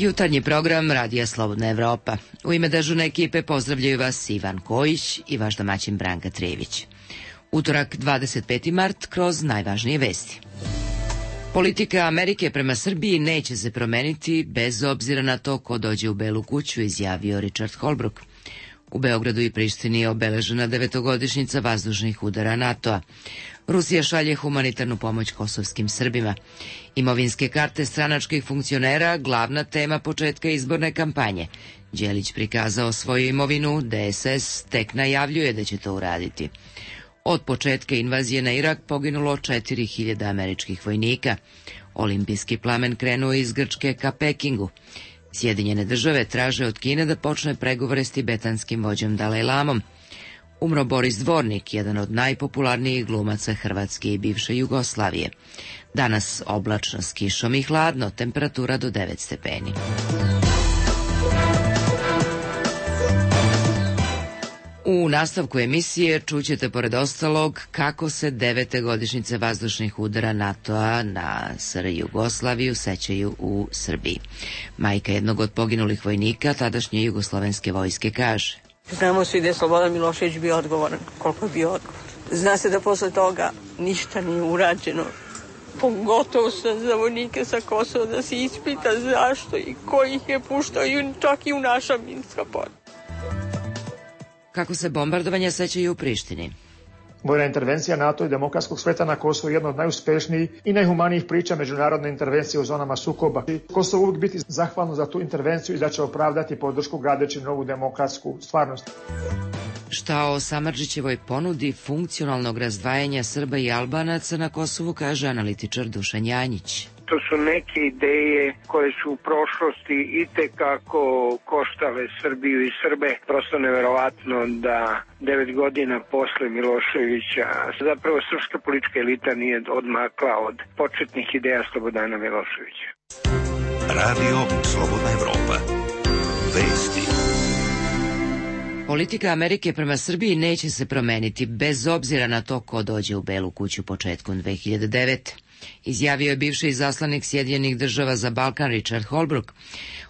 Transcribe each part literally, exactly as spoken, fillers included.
Jutarnji program Radija Slobodna Evropa. U ime dežurne ekipe pozdravljaju vas Ivan Kojić i vaš domaćin Branka Trević. Utorak, dvadeset peti mart, kroz najvažnije vesti. Politika Amerike prema Srbiji neće se promeniti bez obzira na to ko dođe u Belu kuću, izjavio Richard Holbrooke. U Beogradu i Prištini je obeležena devetogodišnjica vazdušnih udara NATO-a. Rusija šalje humanitarnu pomoć kosovskim Srbima. Imovinske karte stranačkih funkcionera, glavna tema početka izborne kampanje. Đelić prikazao svoju imovinu, D S S tek najavljuje da će to uraditi. Od početka invazije na Irak poginulo četiri hiljade američkih vojnika. Olimpijski plamen krenuo iz Grčke ka Pekingu. Sjedinjene države traže od Kine da počne pregovore s tibetanskim vođom Dalajlamom. Umro Boris Dvornik, jedan od najpopularnijih glumaca Hrvatske i bivše Jugoslavije. Danas oblačno s kišom i hladno, temperatura do devet stepeni. U nastavku emisije čućete pored ostalog kako se devete godišnjice vazdušnih udara NATO-a na S R Jugoslaviju sećaju u Srbiji. Majka jednog od poginulih vojnika tadašnje jugoslovenske vojske kaže: Znamo svi da je Slobodan Milošević bio odgovoran, koliko je bio odgovoran. Zna se da posle toga ništa nije urađeno. Pogotovo za vojnike sa Kosova, da se ispita zašto i ko ih je puštao, čak i u naša minska polja. Kako se bombardovanja sećaju u Prištini? Vojna intervencija NATO i demokratskog sveta na Kosovo je jedna od najuspešnijih i najhumanijih priča međunarodne intervencije u zonama sukoba. Kosovo uvijek biti zahvalno za tu intervenciju i da će opravdati podršku gradeći novu demokratsku stvarnost. Šta o Samardžićevoj ponudi funkcionalnog razdvajanja Srba i Albanaca na Kosovu kaže analitičar Dušan Janjić. To su neke ideje koje su u prošlosti itekako koštale Srbiju i Srbe. Prosto neverovatno da devet godina posle Miloševića zapravo srpska politička elita nije odmakla od početnih ideja Slobodana Miloševića. Radio Slobodna Evropa. Vesti. Politika Amerike prema Srbiji neće se promeniti bez obzira na to ko dođe u Belu kuću početkom dve hiljade devete. Izjavio je bivši izaslanik Sjedinjenih država za Balkan Richard Holbrooke.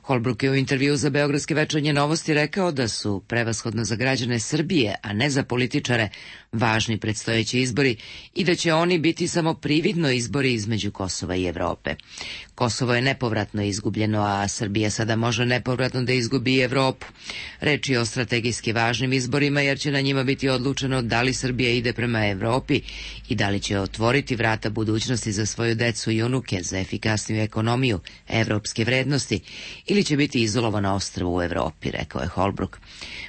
Holbrooke je u intervju za Beogradske večernje novosti rekao da su prevashodno za građane Srbije, a ne za političare, važni predstojeći izbori i da će oni biti samo prividno izbori između Kosova i Evrope. Kosovo je nepovratno izgubljeno, a Srbija sada može nepovratno da izgubi i Evropu. Reč je o strategijski važnim izborima jer će na njima biti odlučeno da li Srbija ide prema Evropi i da li će otvoriti vrata budućnosti za svoju decu i unuke, za efikasniju ekonomiju, evropske vrednosti ili će biti izolovana ostrvo u Evropi, rekao je Holbrooke.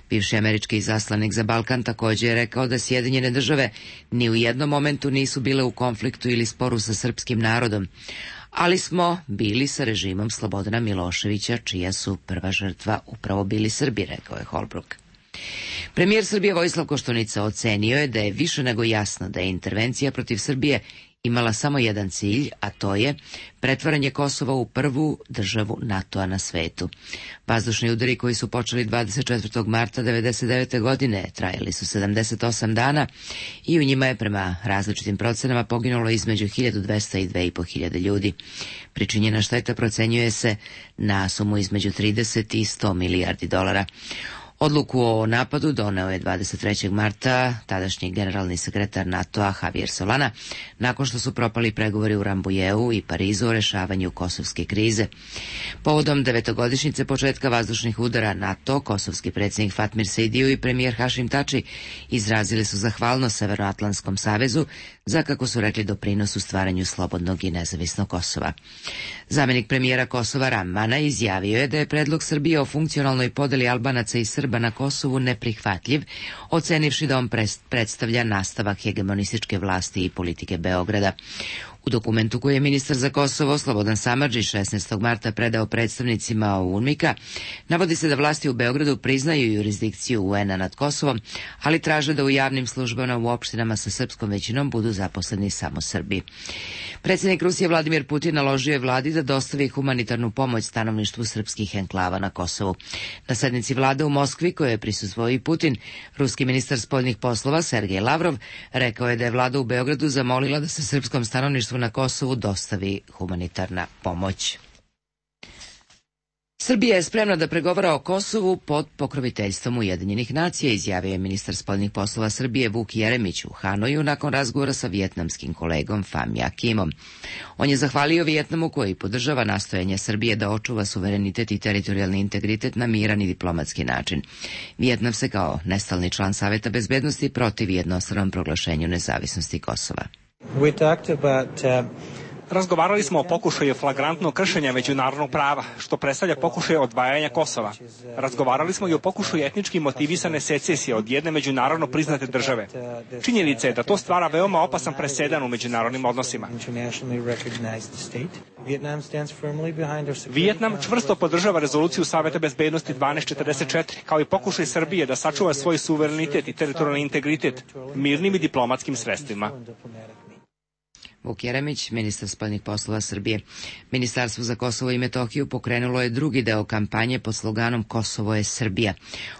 Bivši američki izaslanik za Balkan također je rekao da Sjedinjene države ni u jednom momentu nisu bile u konfliktu ili sporu sa srpskim narodom, ali smo bili sa režimom Slobodana Miloševića, čija su prva žrtva upravo bili Srbi, rekao je Holbrooke. Premijer Srbije Vojislav Koštunica ocenio je da je više nego jasno da je intervencija protiv Srbije imala samo jedan cilj, a to je pretvaranje Kosova u prvu državu NATO-a na svetu. Vazdušni udari koji su počeli dvadeset četvrtog marta devedeset devete. godine trajali su sedamdeset osam dana i u njima je prema različitim procenama poginulo između hiljadu dvesta i dve i po hiljade ljudi. Pričinjena šteta procenjuje se na sumu između trideset i sto milijardi dolara. Odluku o napadu doneo je dvadeset trećeg marta tadašnji generalni sekretar NATO-a Javier Solana, nakon što su propali pregovori u Rambujeu i Parizu o rešavanju kosovske krize. Povodom devetogodišnjice početka vazdušnih udara NATO, kosovski predsjednik Fatmir Sejdiju i premijer Hašim Tači izrazili su zahvalnost Severnoatlantskom savezu za, kako su rekli, doprinos u stvaranju slobodnog i nezavisnog Kosova. Zamenik premijera Kosova Ramana izjavio je da je predlog Srbije o funkcionalnoj podeli Albanaca i Srba na Kosovu neprihvatljiv, ocenivši da on predstavlja nastavak hegemonističke vlasti i politike Beograda. U dokumentu koji je ministar za Kosovo Slobodan Samardžić šesnaestog marta predao predstavnicima UNMIK-a, navodi se da vlasti u Beogradu priznaju jurisdikciju U N-a nad Kosovom, ali traže da u javnim službama u opštinama sa srpskom većinom budu zaposleni samo Srbi. Predsjednik Rusije Vladimir Putin naložio je vladi da dostavi humanitarnu pomoć stanovništvu srpskih enklava na Kosovu. Na sednici vlade u Moskvi, koje je prisustvovao i Putin, ruski ministar spoljnih poslova Sergej Lavrov rekao je da je vlada u Beogradu zamolila da se srpskom stanovništvu na Kosovu dostavi humanitarna pomoć. Srbija je spremna da pregovara o Kosovu pod pokroviteljstvom Ujedinjenih nacija, izjavio je ministar spoljnih poslova Srbije Vuk Jeremić u Hanoju nakon razgovora sa vijetnamskim kolegom Pham Nha Kimom. On je zahvalio Vijetnamu koji podržava nastojanje Srbije da očuva suverenitet i teritorijalni integritet na miran i diplomatski način. Vijetnam se kao nestalni član Saveta bezbednosti protivi jednostranom proglašenju nezavisnosti Kosova. We talked about, uh... Razgovarali smo o pokušaju flagrantnog kršenja međunarodnog prava, što predstavlja pokušaj odvajanja Kosova. Razgovarali smo i o pokušaju etnički motivisane secesije od jedne međunarodno priznate države. Činjenica je da to stvara veoma opasan presedan u međunarodnim odnosima. Vijetnam čvrsto podržava rezoluciju Saveta bezbednosti dvanaest četrdeset četiri, kao i pokušaj Srbije da sačuva svoj suverenitet i teritorijalni integritet mirnim i diplomatskim sredstvima. Vuk Jeremić, ministar spoljnih poslova Srbije. Ministarstvo za Kosovo i Metohiju pokrenulo je drugi deo kampanje pod sloganom Kosovo je Srbija.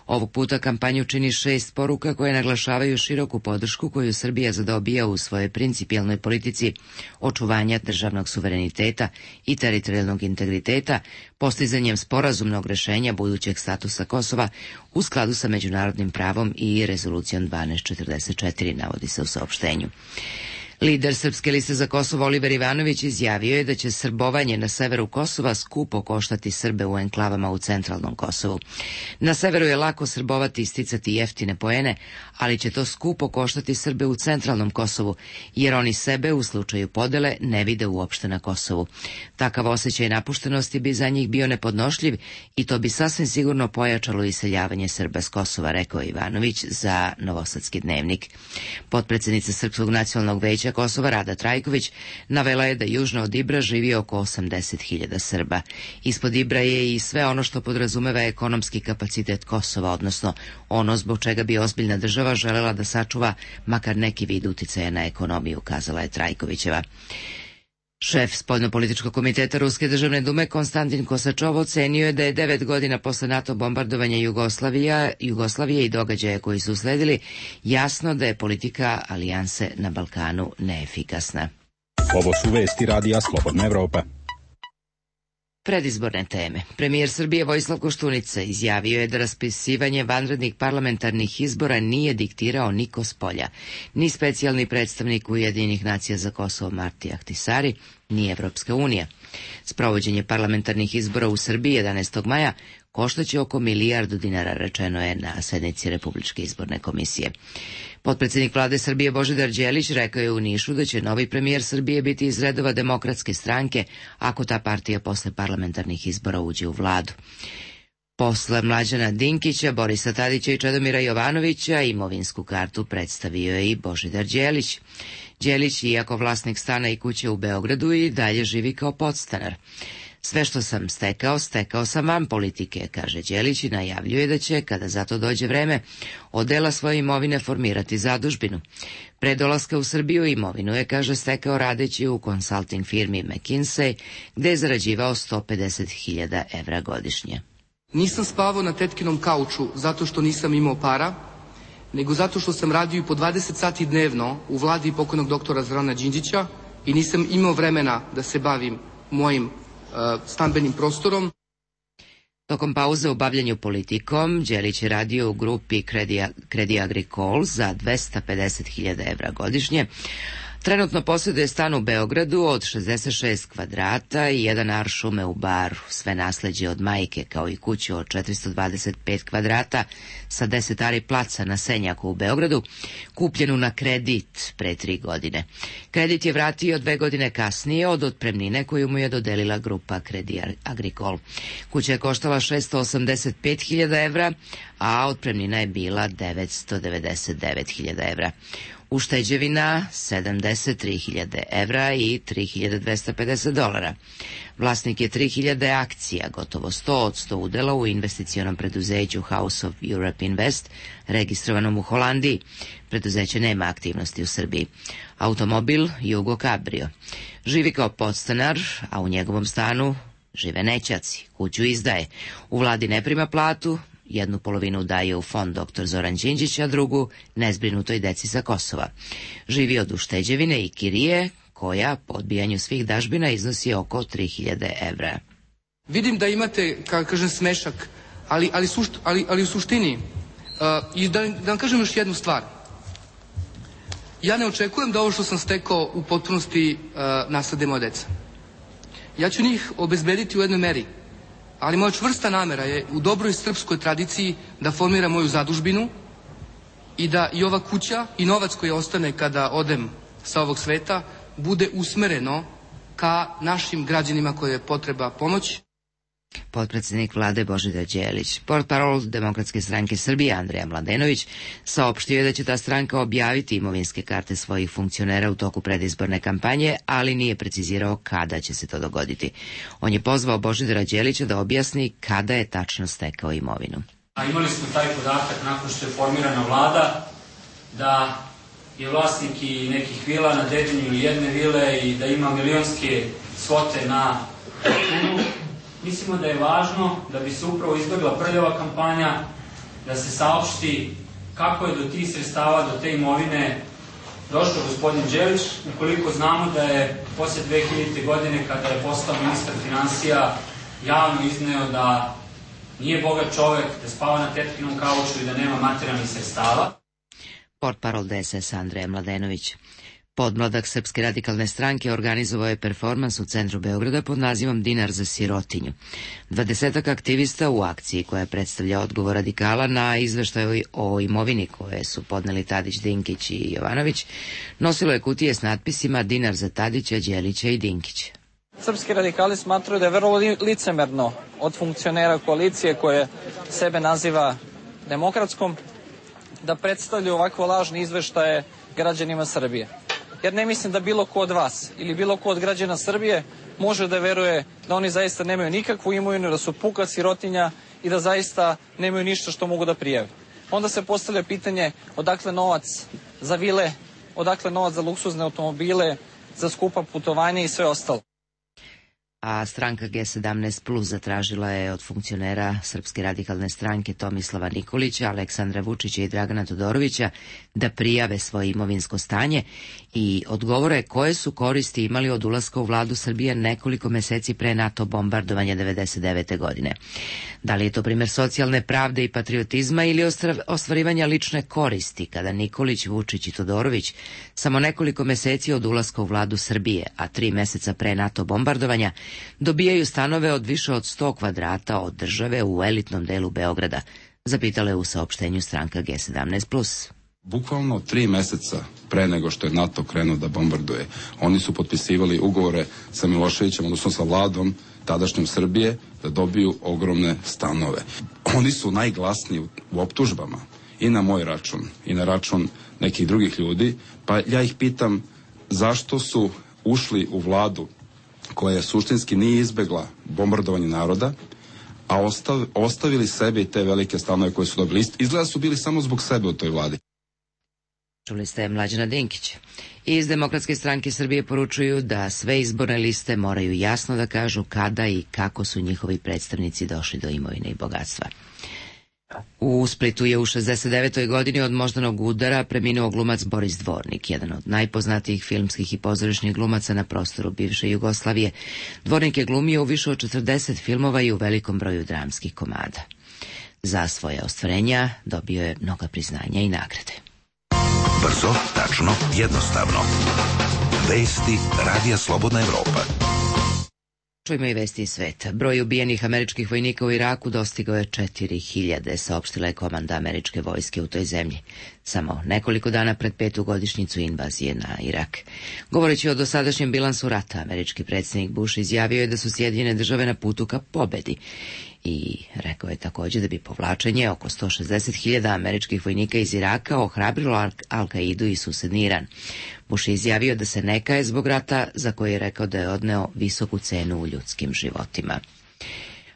Ovog puta kampanju čini šest poruka koje naglašavaju široku podršku koju Srbija zadobija u svojoj principijelnoj politici očuvanja državnog suvereniteta i teritorijalnog integriteta, postizanjem sporazumnog rešenja budućeg statusa Kosova u skladu sa međunarodnim pravom i rezolucijom dvanaest četrdeset četiri, navodi se u saopštenju. Lider Srpske liste za Kosovo Oliver Ivanović izjavio je da će srbovanje na severu Kosova skupo koštati Srbe u enklavama u centralnom Kosovu. Na severu je lako srbovati i sticati jeftine poene, ali će to skupo koštati Srbe u centralnom Kosovu, jer oni sebe u slučaju podele ne vide uopšte na Kosovu. Takav osjećaj napuštenosti bi za njih bio nepodnošljiv i to bi sasvim sigurno pojačalo iseljavanje Srba s Kosova, rekao Ivanović za Novosadski dnevnik. Potpredsednica Srpskog nacionalnog veća Kosova Rada Trajković navela je da južno od Ibra živi oko osamdeset hiljada Srba. Ispod Ibra je i sve ono što podrazumeva ekonomski kapacitet Kosova, odnosno ono zbog čega bi ozbiljna država želela da sačuva makar neki vid uticaja na ekonomiju, kazala je Trajkovićeva. Šef spoljnopolitičkog komiteta Ruske državne dume Konstantin Kosačov ocenio je da je devet godina posle NATO bombardovanja Jugoslavija, Jugoslavije i događaja koji su usledili jasno da je politika alijanse na Balkanu neefikasna. Ovo su vesti radija Slobodna Evropa. Predizborne teme. Premijer Srbije Vojislav Koštunica izjavio je da raspisivanje vanrednih parlamentarnih izbora nije diktirao niko spolja, ni specijalni predstavnik Ujedinjenih nacija za Kosovo Marti Ahtisari, ni Evropska unija. Sprovođenje parlamentarnih izbora u Srbiji jedanaestog maja koštaće oko milijardu dinara, rečeno je na sednici Republičke izborne komisije. Potpredsednik vlade Srbije Božidar Đelić rekao je u Nišu da će novi premijer Srbije biti iz redova Demokratske stranke ako ta partija posle parlamentarnih izbora uđe u vladu. Posle Mlađana Dinkića, Borisa Tadića i Čedomira Jovanovića imovinsku kartu predstavio je i Božidar Đelić. Đelić, iako vlasnik stana i kuće u Beogradu, i dalje živi kao podstanar. Sve što sam stekao, stekao sam van politike, kaže Đelić i najavljuje da će, kada za to dođe vreme, od dela svoje imovine formirati zadužbinu. Pre dolaska u Srbiju imovinu je, kaže, stekao radeći u konsulting firmi McKinsey, gde je zarađivao sto pedeset hiljada evra godišnje. Nisam spavao na tetkinom kauču zato što nisam imao para, nego zato što sam radio i po dvadeset sati dnevno u vladi pokojnog doktora Zorana Đinđića i nisam imao vremena da se bavim mojim stambenim prostorom. Tokom pauze u bavljanju politikom, Đelić je radio u grupi Credit Agricole za dvesta pedeset hiljada evra godišnje. Trenutno posjeduje stan u Beogradu od šezdeset šest kvadrata i jedan ar šume u Baru, sve nasleđe od majke, kao i kuću od četiristo dvadeset pet kvadrata sa deset ari placa na Senjaku u Beogradu, kupljenu na kredit pre tri godine. Kredit je vratio dve godine kasnije od otpremnine koju mu je dodelila grupa Credit Agricole. Kuća je koštala šesto osamdeset pet hiljada evra, a otpremnina je bila devetsto devedeset devet hiljada evra. Ušteđevina sedamdeset tri hiljade evra i tri hiljade dvesta pedeset dolara. Vlasnik je tri hiljade akcija, gotovo sto posto udela u investicionom preduzeću House of Europe Invest, registrovanom u Holandiji. Preduzeće nema aktivnosti u Srbiji. Automobil Jugo Cabrio. Živi kao podstanar, a u njegovom stanu žive nećaci. Kuću izdaje. U vladi ne prima platu, jednu polovinu daje u fond doktor Zoran Đinđić, a drugu nezbrinutoj deci sa Kosova. Živi od ušteđevine i kirije, koja po odbijanju svih dažbina iznosi oko tri hiljade evra. Vidim da imate, kako kažem, smešak, ali, ali, sušt, ali, ali u suštini, uh, i da, da vam kažem još jednu stvar. Ja ne očekujem da ovo što sam stekao u potpunosti uh, naslede moja deca. Ja ću njih obezbediti u jednoj meri, ali moja čvrsta namera je u dobroj srpskoj tradiciji da formira moju zadužbinu i da i ova kuća i novac koji ostane kada odem sa ovog sveta bude usmereno ka našim građanima koje je potreba pomoć. Potpredsednik vlade Božidar Đelić. Portparol Demokratske stranke Srbije Andreja Mladenović saopštio je da će ta stranka objaviti imovinske karte svojih funkcionera u toku predizborne kampanje, ali nije precizirao kada će se to dogoditi. On je pozvao Božidara Đelića da objasni kada je tačno stekao imovinu. A imali smo taj podatak nakon što je formirana vlada da je vlasnik i nekih vila na Dedinju ili jedne vile i da ima milionske svote na računu. Mislimo da je važno da bi se upravo izbjegla prljava kampanja, da se saopšti kako je do tih sredstava, do te imovine došao gospodin Đelić, ukoliko znamo da je posle dve hiljadite. godine, kada je postao ministar finansija, javno izneo da nije bogat čovek, da spava na tetkinom kauču i da nema materijalnih sredstava. Portparol D S S Andreja Mladenović. Podmladak Srpske radikalne stranke organizovao je performans u centru Beograda pod nazivom Dinar za sirotinju. Dvadesetak aktivista u akciji koja predstavlja odgovor radikala na izveštaj o imovini koje su podneli Tadić, Dinkić i Jovanović, nosilo je kutije s natpisima Dinar za Tadića, Đelića i Dinkića. Srpski radikali smatraju da je vrlo licemerno od funkcionera koalicije koje sebe naziva demokratskom da predstavljaju ovakvo lažne izveštaje građanima Srbije. Jer ne mislim da bilo ko od vas ili bilo ko od građana Srbije može da veruje da oni zaista nemaju nikakvu imovinu, da su puka sirotinja i da zaista nemaju ništa što mogu da prijave. Onda se postavlja pitanje odakle novac za vile, odakle novac za luksuzne automobile, za skupa putovanja i sve ostalo. A stranka G sedamnaest plus zatražila je od funkcionera Srpske radikalne stranke Tomislava Nikolića, Aleksandra Vučića i Dragana Todorovića da prijave svoje imovinsko stanje i odgovore koje su koristi imali od ulaska u vladu Srbije nekoliko meseci pre NATO bombardovanja devedeset devete. godine. Da li je to primjer socijalne pravde i patriotizma ili ostvarivanja lične koristi kada Nikolić, Vučić i Todorović samo nekoliko meseci od ulaska u vladu Srbije, a tri meseca pre NATO bombardovanja, dobijaju stanove od više od sto kvadrata od države u elitnom delu Beograda, zapitala je u saopštenju stranka G sedamnaest plus. Bukvalno tri meseca pre nego što je NATO krenuo da bombarduje, oni su potpisivali ugovore sa Miloševićem, odnosno sa vladom tadašnjom Srbije, da dobiju ogromne stanove. Oni su najglasniji u optužbama i na moj račun i na račun nekih drugih ljudi, pa ja ih pitam zašto su ušli u vladu koja suštinski nije izbegla bombardovanje naroda, a ostav, ostavili sebe i te velike stanove koje su dobili. Izgleda su bili samo zbog sebe u toj vladi. Čuli ste Mlađana Dinkića. Iz Demokratske stranke Srbije poručuju da sve izborne liste moraju jasno da kažu kada i kako su njihovi predstavnici došli do imovine i bogatstva. U Splitu je u šezdeset devetoj. godini od moždanog udara preminuo glumac Boris Dvornik, jedan od najpoznatijih filmskih i pozorišnih glumaca na prostoru bivše Jugoslavije. Dvornik je glumio u više od četrdeset filmova i u velikom broju dramskih komada. Za svoje ostvarenja dobio je mnoga priznanja i nagrade. Brzo, tačno, jednostavno. Vesti Radija Slobodna Evropa. Čujemo i vesti iz sveta. Broj ubijenih američkih vojnika u Iraku dostigao je četiri hiljade, saopštila je komanda američke vojske u toj zemlji. Samo nekoliko dana pred petu godišnjicu invazije na Irak. Govoreći o dosadašnjem bilansu rata, američki predsjednik Bush izjavio je da su Sjedinjene države na putu ka pobedi. I rekao je također da bi povlačenje oko sto šezdeset hiljada američkih vojnika iz Iraka ohrabrilo Al-Kaidu i susedni Iran. Bush je izjavio da se ne kaje zbog rata za koji je rekao da je odneo visoku cenu u ljudskim životima.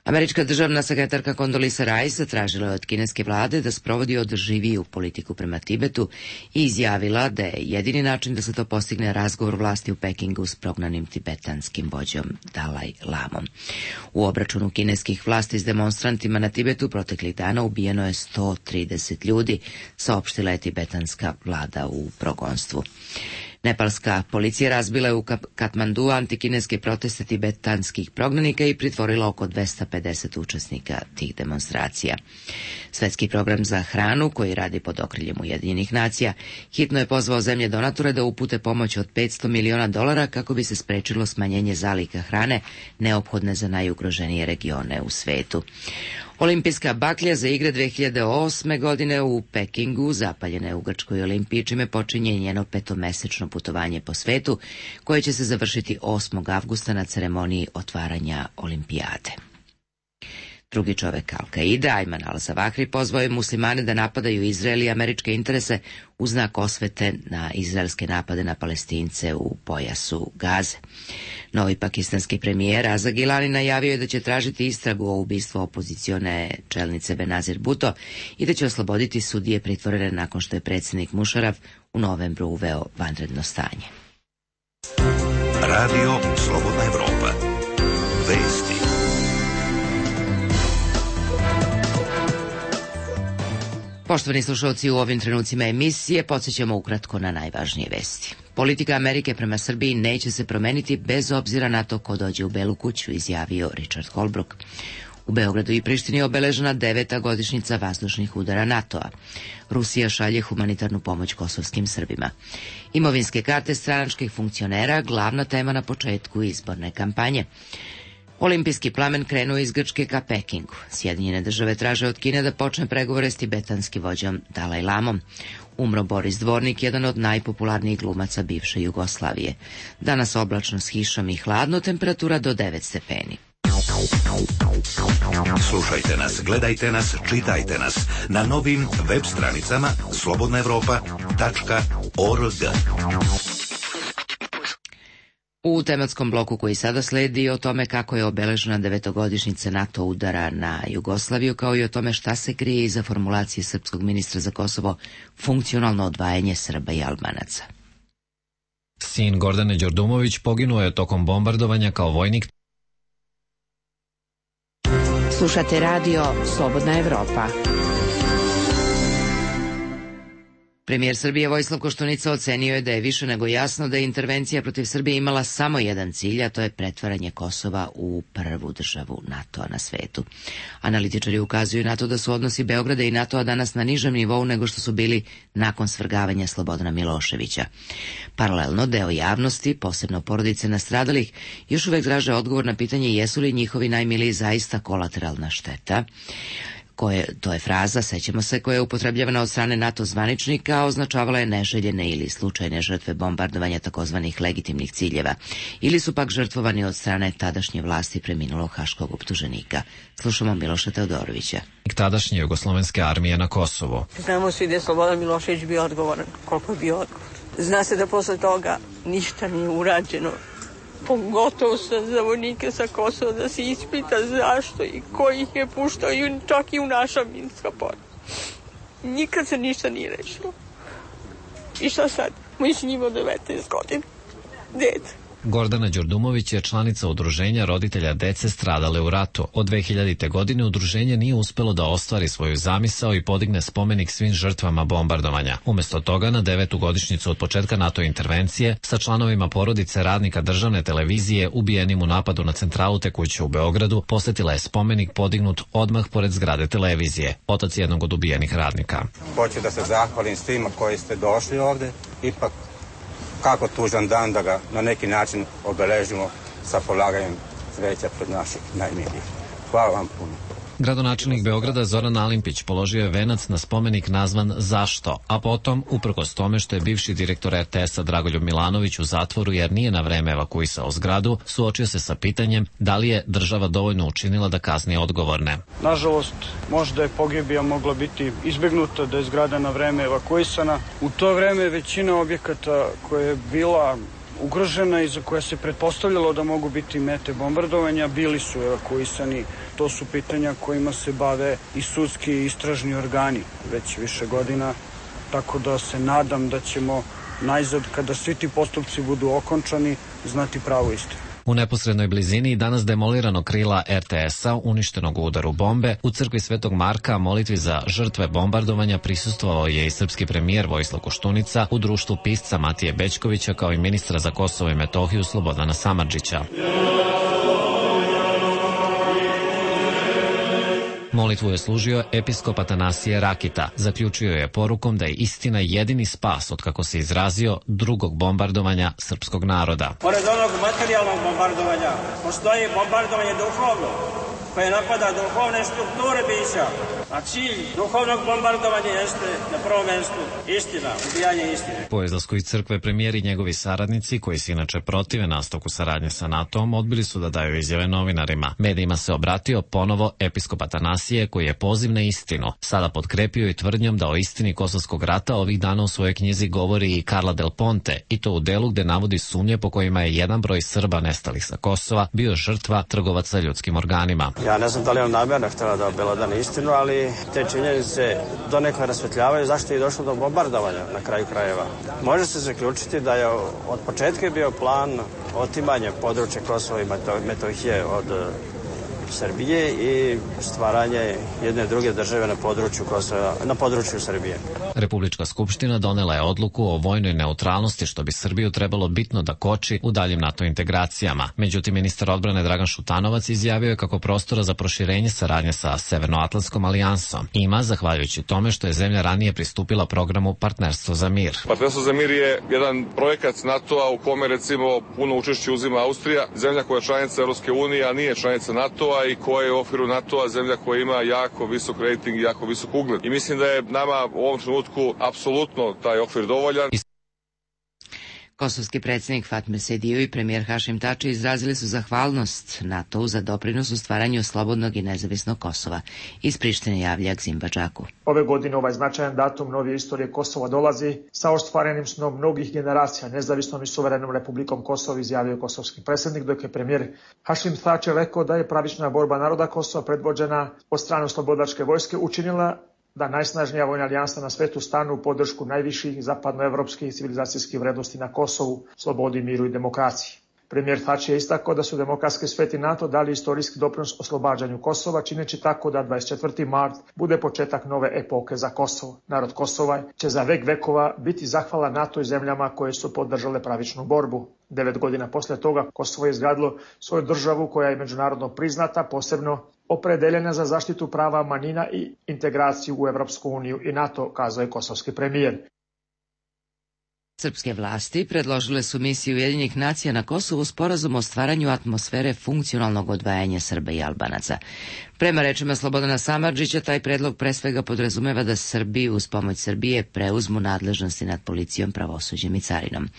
Američka državna sekretarka Condoleezza Rice zatražila je od kineske vlade da sprovodi održiviju politiku prema Tibetu i izjavila da je jedini način da se to postigne razgovor vlasti u Pekingu s prognanim tibetanskim vođom Dalaj Lamom. U obračunu kineskih vlasti s demonstrantima na Tibetu proteklih dana ubijeno je sto trideset ljudi, saopštila je tibetanska vlada u progonstvu. Nepalska policija razbila je u Katmandu antikineske proteste tibetanskih prognanika i pritvorila oko dvesta pedeset učesnika tih demonstracija. Svetski program za hranu, koji radi pod okriljem Ujedinjenih nacija, hitno je pozvao zemlje donatore da upute pomoć od petsto miliona dolara kako bi se sprečilo smanjenje zaliha hrane neophodne za najugroženije regione u svetu. Olimpijska baklja za igre dve hiljade osme godine u Pekingu zapaljena je u Grčkoj olimpiji, čime počinje njeno petomesečno putovanje po svetu, koje će se završiti osmog avgusta na ceremoniji otvaranja olimpijade. Drugi čovek Al-Kaida, Ajman al-Zawahri, pozvao je muslimane da napadaju Izrael i američke interese u znak osvete na izraelske napade na Palestince u pojasu Gaze. Novi pakistanski premijer Raza Gilani najavio je da će tražiti istragu o ubistvu opozicione čelnice Benazir Bhutto i da će osloboditi sudije pritvorene nakon što je predsjednik Mušaraf u novembru uveo vanredno stanje. Radio Slobodna Evropa. Vesti. Poštovani slušalci, u ovim trenucima emisije podsjećamo ukratko na najvažnije vesti. Politika Amerike prema Srbiji neće se promeniti bez obzira na to ko dođe u Belu kuću, izjavio Richard Holbrooke. U Beogradu i Prištini je obeležena deveta godišnjica vazdušnih udara NATO-a. Rusija šalje humanitarnu pomoć kosovskim Srbima. Imovinske karte stranačkih funkcionera, glavna tema na početku izborne kampanje. Olimpijski plamen krenuo iz Grčke ka Pekingu. Sjedinjene države traže od Kine da počne pregovore s tibetanskim vođom Dalaj Lamom. Umro Boris Dvornik, jedan od najpopularnijih glumaca bivše Jugoslavije. Danas oblačno s kišom i hladno, temperatura do devet stepeni. Slušajte nas, gledajte nas, čitajte nas na novim web stranicama slobodna evropa tačka org. U tematskom bloku koji sada sledi o tome kako je obeležena devetogodišnjica NATO udara na Jugoslaviju, kao i o tome šta se krije iza formulacije srpskog ministra za Kosovo funkcionalno odvajanje Srba i Albanaca. Sin Gordane Đordumović poginuo je tokom bombardovanja kao vojnik. Slušate radio Slobodna Evropa. Premijer Srbije Vojislav Koštunica ocenio je da je više nego jasno da je intervencija protiv Srbije imala samo jedan cilj, a to je pretvaranje Kosova u prvu državu NATO-a na svetu. Analitičari ukazuju na to da su odnosi Beograda i NATO-a danas na nižem nivou nego što su bili nakon svrgavanja Slobodana Miloševića. Paralelno, deo javnosti, posebno porodice nastradalih, još uvek traže odgovor na pitanje jesu li njihovi najmiliji zaista kolateralna šteta. Koje, to je fraza, sećamo se, koja je upotrebljavana od strane NATO zvaničnika, a označavala je neželjene ili slučajne žrtve bombardovanja takozvanih legitimnih ciljeva, ili su pak žrtvovani od strane tadašnje vlasti preminulog haškog optuženika. Slušamo Miloša Teodorovića. Tadašnje jugoslovenske armije na Kosovo. Znamo svi da je Slobodan Milošević bio odgovoran, koliko je bio odgovoran. Zna se da posle toga ništa nije urađeno. Pogotovo sam za vojnike sa Kosova da se ispita zašto i ko ih je puštao, i čak i u naša minska polja. Nikad se ništa nije rešilo. I šta sad? Mi s njima devetnaest godina. Dete. Gordana Đordumović je članica udruženja roditelja dece stradale u ratu. Od dve hiljadite. godine udruženje nije uspelo da ostvari svoju zamisao i podigne spomenik svim žrtvama bombardovanja. Umesto toga, na devetu godišnjicu od početka NATO intervencije, sa članovima porodice radnika državne televizije ubijenim u napadu na centralu te kuće u Beogradu, posetila je spomenik podignut odmah pored zgrade televizije, otac jednog od ubijenih radnika. Hoću da se zahvalim svima koji ste došli ovde, ipak kako tužan dan da ga na neki način obeležimo sa polaganjem cveća pred naših najmilijih. Hvala vam puno. Gradonačelnik Beograda Zoran Alimpić položio je venac na spomenik nazvan Zašto, a potom, uprkos tome što je bivši direktor er te esa Dragoljub Milanović u zatvoru jer nije na vreme evakuisao zgradu, suočio se sa pitanjem da li je država dovoljno učinila da kazni odgovorne. Nažalost, možda je pogibija mogla biti izbegnuta da je zgrada na vreme evakuisana. U to vreme većina objekata koja je bila ugrožena i za koje se pretpostavljalo da mogu biti mete bombardovanja, bili su evakuisani. To su pitanja kojima se bave i sudski i istražni organi već više godina, tako da se nadam da ćemo najzad, kada svi ti postupci budu okončani, znati pravu istinu. U neposrednoj blizini danas demolirano krila er te es-a uništenog u udaru bombe u crkvi Svetog Marka molitvi za žrtve bombardovanja prisustvovao je i srpski premijer Vojislav Koštunica u društvu pisca Matije Bećkovića kao i ministra za Kosovo i Metohiju Slobodana Samardžića. Molitvu je služio episkop Atanasije Rakita. Zaključio je porukom da je istina jedini spas od, kako se izrazio, drugog bombardovanja srpskog naroda. Pored onog materijalnog bombardovanja, postoji bombardovanje duhovno, koje napada duhovne strukture bića, a cilj duhovnog bombardovanja jeste na prvom mjestu istina, ubijanje istine. Po izlasku iz crkve premijer i njegovi saradnici, koji se inače protive nastavku saradnje sa NATO-om, odbili su da daju izjave novinarima. Medijima se obratio ponovo episkop Atanasije, koji je poziv na istinu sada potkrepio i tvrdnjom da o istini Kosovskog rata ovih dana u svojoj knjizi govori i Carla Del Ponte, i to u delu gde navodi sumnje po kojima je jedan broj Srba nestalih sa Kosova bio žrtva trgovaca ljudskim organima. Ja ne znam da li on namjerno htjela da obelodani istinu, ali te činjenice donekle rasvetljavaju zašto je došlo do bombardovanja na kraju krajeva. Može se zaključiti da je od početka bio plan otimanja područja Kosova i Metohije od Srbije i stvaranje jedne druge države na području Kosova, na području Srbije. Republička skupština donela je odluku o vojnoj neutralnosti, što bi Srbiju trebalo bitno da koči u daljim NATO integracijama. Međutim, ministar odbrane Dragan Šutanovac izjavio je kako prostora za proširenje saradnje sa Severnoatlantskom alijansom ima, zahvaljujući tome što je zemlja ranije pristupila programu Partnerstvo za mir. Partnerstvo za mir je jedan projekat NATO-a u kome recimo puno učešće uzima Austrija, zemlja koja je članica Europske unije, a nije članica NATO-a i koja je u okviru NATO-a zemlja koja ima jako visok rating i jako visok ugled. I mislim da je nama u ovom trenutku apsolutno taj okvir dovoljan. Kosovski predsjednik Fatmir Sejdijev i premijer Hašim Tači izrazili su zahvalnost NATO-u za doprinos u stvaranju slobodnog i nezavisnog Kosova. Iz Prištine javlja Aksim Badžaku. Ove godine ovaj značajan datum novije istorije Kosova dolazi sa ostvarenim snom mnogih generacija nezavisnom i suverenom Republikom Kosovo, izjavio kosovski predsjednik, dok je premijer Hašim Tači rekao da je pravična borba naroda Kosova predvođena od strane slobodačke vojske učinila da najsnažnija vojna alijansa na svetu stanu u podršku najviših zapadnoevropskih civilizacijskih vrednosti na Kosovu, slobodi, miru i demokraciji. Premijer Tači je istakao da su demokratski sveti NATO dali istorijski doprinos oslobađanju Kosova, čineći tako da dvadeset četvrti mart bude početak nove epoke za Kosovo. Narod Kosova će za vek vekova biti zahvalan NATO i zemljama koje su podržale pravičnu borbu. Devet godina posle toga Kosovo je izgradilo svoju državu koja je međunarodno priznata, posebno opredeljena za zaštitu prava manjina i integraciju u Evropsku uniju i NATO, kazao je kosovski premijer. Srpske vlasti predložile su misiju Ujedinjenih nacija na Kosovu sporazum o stvaranju atmosfere funkcionalnog odvajanja Srba i Albanaca. Prema rečima Slobodana Samardžića, taj predlog pre svega podrazumeva da Srbi uz pomoć Srbije preuzmu nadležnosti nad policijom, pravosuđem i carinom.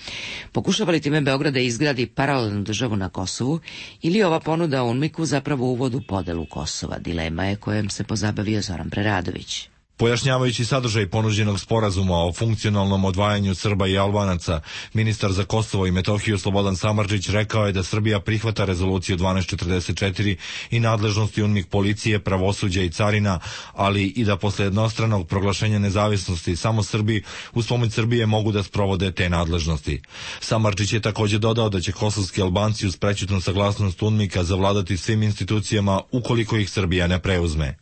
Pokušava li time Beograd da izgradi paralelnu državu na Kosovu ili ova ponuda UNMIK-u zapravo uvod u podelu Kosova? Dilema je kojom se pozabavio Zoran Preradović. Pojašnjavajući sadržaj ponuđenog sporazuma o funkcionalnom odvajanju Srba i Albanaca, ministar za Kosovo i Metohiju Slobodan Samardžić rekao je da Srbija prihvata rezoluciju dvanaest četrdeset četiri i nadležnosti UNMIK policije, pravosuđa i carina, ali i da posle jednostranog proglašenja nezavisnosti samo Srbi uz pomoć Srbije mogu da sprovode te nadležnosti. Samardžić je također dodao da će kosovski Albanci uz prećutnu saglasnost UNMIK-a zavladati svim institucijama ukoliko ih Srbija ne preuzme.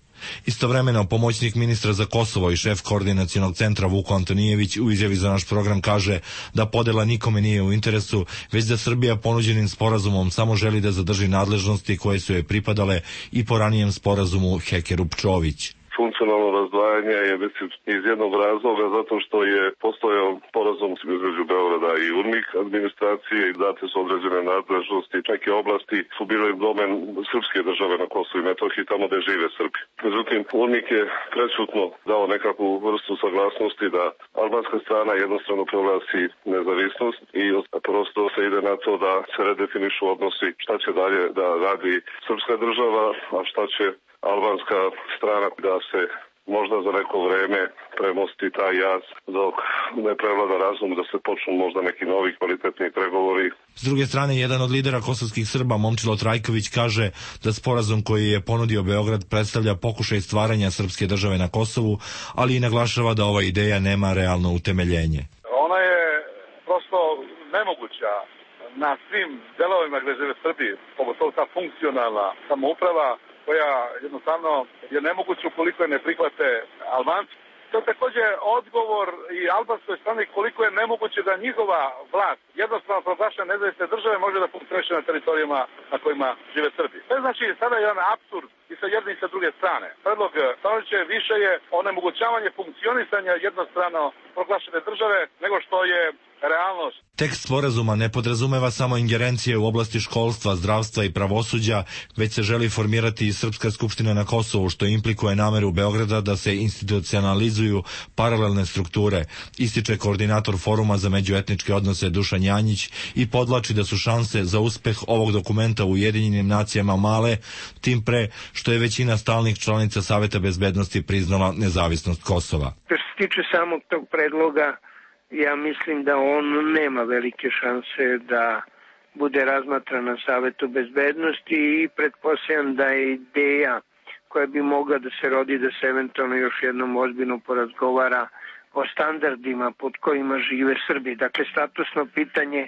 Istovremeno, pomoćnik ministra za Kosovo i šef koordinacionog centra Vuko Antonijević u izjavi za naš program kaže da podela nikome nije u interesu, već da Srbija ponuđenim sporazumom samo želi da zadrži nadležnosti koje su joj pripadale i po ranijem sporazumu Hekerup-Čović. Funkcionalno razdvajanje je mislim iz jednog razloga zato što je postojao sporazum između Beograda i UNMIK administracije i date su određene nadležnosti. Neke oblasti su bile domen srpske države na Kosovu i Metohiji, tamo gde žive Srbi. Međutim, UNMIK je prečutno dao nekakvu vrstu saglasnosti da albanska strana jednostavno proglasi nezavisnost i prosto se ide na to da se redefinišu odnosi šta će dalje da radi srpska država, a šta će albanska strana, da se možda za neko vreme premosti taj jaz dok ne prevlada razum, da se počnu možda neki novi kvalitetni pregovori. S druge strane, jedan od lidera kosovskih Srba, Momčilo Trajković, kaže da sporazum koji je ponudio Beograd predstavlja pokušaj stvaranja srpske države na Kosovu, ali i naglašava da ova ideja nema realno utemeljenje. Ona je prosto nemoguća. na svim delovima gde žive Srbi, pogotovo ta funkcionalna samouprava koja jednostavno je nemoguća ukoliko je ne prihvate Albanci. To je takođe odgovor i albanskoj strani koliko je nemoguće da njihova vlast jednostavno proglašena nezavisne države može da funkcioniše na teritorijama na kojima žive Srbi. To je znači sada jedan apsurd i sa jedne i sa druge strane. Predlog Stanovića više je onemogućavanje funkcionisanja jednostrano proglašene države nego što je realnost. Tekst sporazuma ne podrazumeva samo ingerencije u oblasti školstva, zdravstva i pravosuđa, već se želi formirati i Srpska skupština na Kosovu, što implikuje nameru Beograda da se institucionalizuju paralelne strukture, ističe koordinator Foruma za međuetničke odnose Dušan Janjić i podlači da su šanse za uspeh ovog dokumenta u Ujedinjenim nacijama male, tim pre što je većina stalnih članica Saveta bezbednosti priznala nezavisnost Kosova. Što se tiče samog tog predloga, ja mislim da on nema velike šanse da bude razmatran na Savetu bezbednosti i pretpostavljam da je ideja koja bi mogla da se rodi da se eventualno još jednom ozbiljno porazgovara o standardima pod kojima žive Srbi. Dakle, statusno pitanje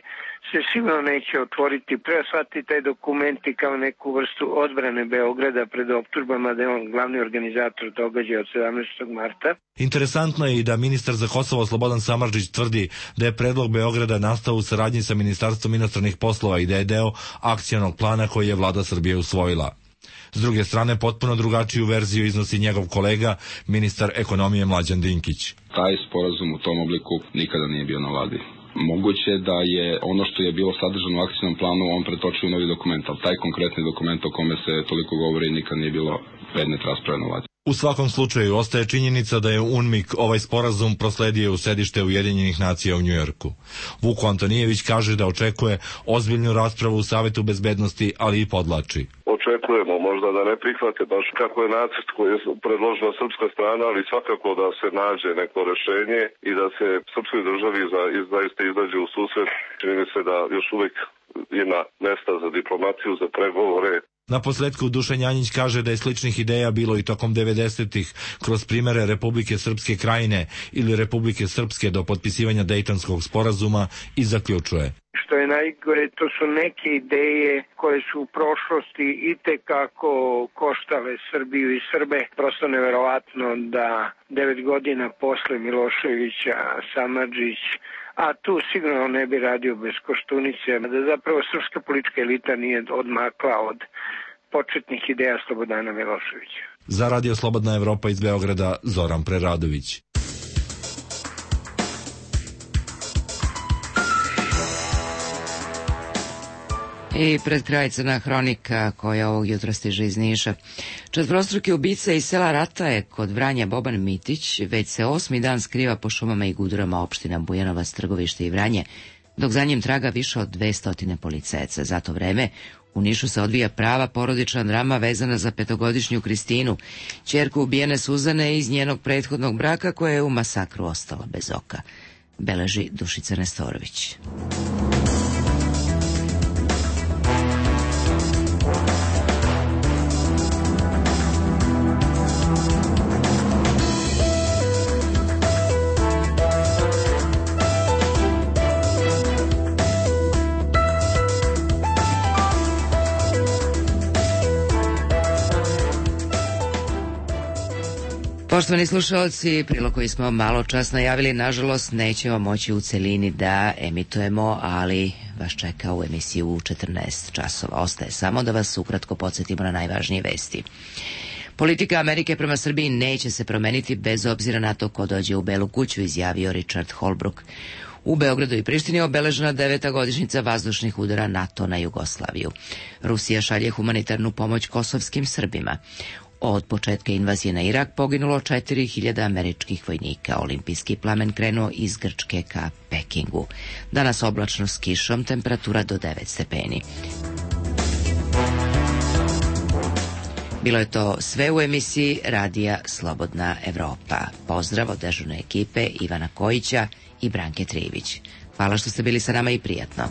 se sigurno neće otvoriti. Treba shvatiti taj dokumenti kao neku vrstu odbrane Beograda pred optužbama da je on glavni organizator događaja od sedamnaestog marta. Interesantno je i da ministar za Kosovo Slobodan Samardžić tvrdi da je predlog Beograda nastao u saradnji sa Ministarstvom inostranih poslova i da je deo akcionog plana koji je vlada Srbije usvojila. S druge strane, potpuno drugačiju verziju iznosi njegov kolega, ministar ekonomije Mlađan Dinkić. Taj sporazum u tom obliku nikada nije bio na vladi. Moguće da je ono što je bilo sadržano u akcijnom planu on pretočio u novi dokument, ali taj konkretni dokument o kome se toliko govori nikad nije bilo predmet rasprave na vladi. U svakom slučaju, ostaje činjenica da je UNMIK ovaj sporazum prosledio u sedište Ujedinjenih nacija u Njujorku. Vuko Antonijević kaže da očekuje ozbiljnu raspravu u Savetu bezbednosti, ali i podlači. Očekujemo možda da ne prihvate baš kako je nacrt koji je predložila srpska strana, ali svakako da se nađe neko rešenje i da se srpskoj državi za, zaista izađe u susret. Čini mi se da još uvijek ima mesta za diplomaciju, za pregovore. Na posledku Dušan Janjić kaže da je sličnih ideja bilo i tokom devedesetih kroz primere Republike Srpske Krajine ili Republike Srpske do potpisivanja Dejtonskog sporazuma i zaključuje. Što je najgore, to su neke ideje koje su u prošlosti itekako koštale Srbiju i Srbe. Prosto neverovatno da devet godina posle Miloševića Samardžić, a tu sigurno ne bi radio bez Koštunice, da zapravo srpska politička elita nije odmakla od početnih ideja Slobodana Miloševića. Za Radio Slobodna Evropa iz Beograda, Zoran Preradović. I pred kraj crna hronika koja ovog jutra stiže iz Niša. Četvorostruki ubica iz sela Rataje kod Vranja Boban Mitić već se osmi dan skriva po šumama i gudurama opština Bujanovac, Trgovište i Vranje, dok za njim traga više od dvesta policajaca. Za to vreme u Nišu se odvija prava porodična drama vezana za petogodišnju Kristinu, ćerku ubijene Suzane iz njenog prethodnog braka koja je u masakru ostala bez oka. Beleži Dušica Nestorović. Poštovani slušalci, prilog koji smo malo čas najavili, nažalost, nećemo moći u celini da emitujemo, ali vas čeka u emisiju u četrnaest časova. Ostaje samo da vas ukratko podsjetimo na najvažnije vesti. Politika Amerike prema Srbiji neće se promeniti bez obzira na to ko dođe u Belu kuću, izjavio Richard Holbrooke. U Beogradu i Prištini obeležena deveta godišnjica vazdušnih udara NATO na Jugoslaviju. Rusija šalje humanitarnu pomoć kosovskim Srbima. Od početka invazije na Irak poginulo četiri hiljade američkih vojnika. Olimpijski plamen krenuo iz Grčke ka Pekingu. Danas oblačno s kišom, temperatura do devet stepeni. Bilo je to sve u emisiji Radija Slobodna Evropa. Pozdrav od dežurne ekipe Ivana Kojića i Branke Trivić. Hvala što ste bili sa nama i prijatno.